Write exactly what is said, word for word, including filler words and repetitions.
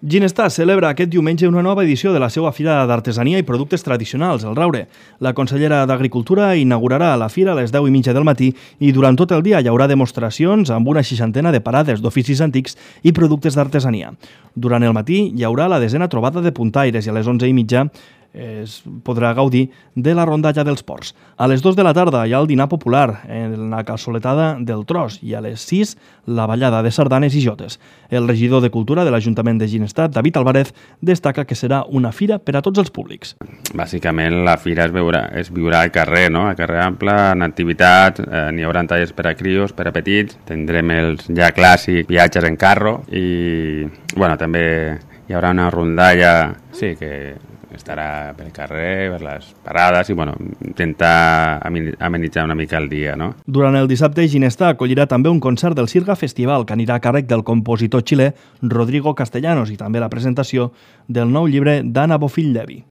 Ginestar celebra aquest diumenge una nova edició de la seva Fira d'Artesania i Productes Tradicionals, el Raure. La consellera d'Agricultura inaugurarà la fira a les deu i mitja del matí i durant tot el dia hi haurà demostracions amb una seixantena de parades d'oficis antics i productes d'artesania. Durant el matí hi haurà la desena trobada de puntaires i a les onze i mitja es podrà gaudir de la rondalla dels ports. A les dues de la tarda hi ha el dinar popular en la calçoletada del Tros i a les sis la ballada de sardanes i jotes. El regidor de Cultura de l'Ajuntament de Ginestar, David Álvarez, destaca que serà una fira per a tots els públics. Bàsicament la fira es, veurà, es viurà al carrer, no? Al carrer ample, en activitat, eh, n'hi haurà tallers per a crios, per a petits, tindrem els ja clàssics viatges en carro i bueno, també hi haurà una rondalla, sí, que estarà pel carrer, per les parades i bueno, intentar amenitzar una mica el dia, no? Durant el dissabte, Ginestar acollirà també un concert del Sirga Festival que anirà a càrrec del compositor xilè Rodrigo Castellanos i també la presentació del nou llibre d'Anna Bofill Levi.